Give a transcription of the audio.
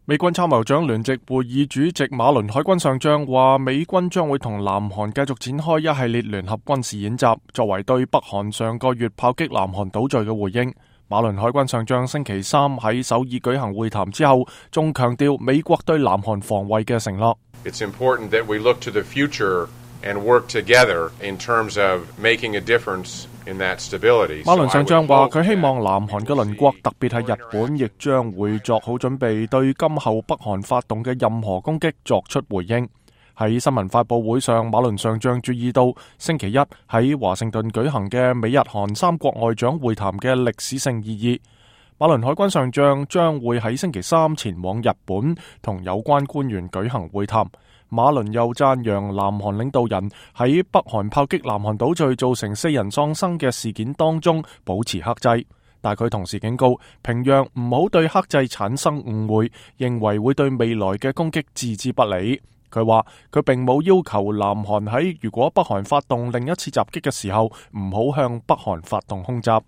美軍參謀長聯席會議主席馬倫海軍上將話，美軍將會同南韓繼續展開一系列聯合軍事演習，作為對北韓上個月炮擊南韓島嶼嘅回應。馬倫海軍上將星期三喺首爾舉行會談之後，仲強調美國對南韓防衛嘅承諾。It's important that we look to the future and work together in terms of making a difference in that stability. 馬倫上將話，佢希望南韓嘅鄰國，特別係日本，亦將會作好準備，對今後北韓發動嘅任何攻擊作出回應。喺新聞發佈會上，馬倫上將注意到星期一喺華盛頓舉行嘅美日韓三國外長會談嘅歷史性意義。馬倫海軍上將將會喺星期三前往日本同有關官員舉行會談。馬倫又讚揚南韓領導人喺北韓炮擊南韓島嶼造成4人喪生嘅事件當中保持克制，但佢同時警告平壤唔好對克制產生誤會，認為會對未來嘅攻擊置之不理。佢話佢並冇要求南韓喺如果北韓發動另一次襲擊嘅時候唔好向北韓發動空襲。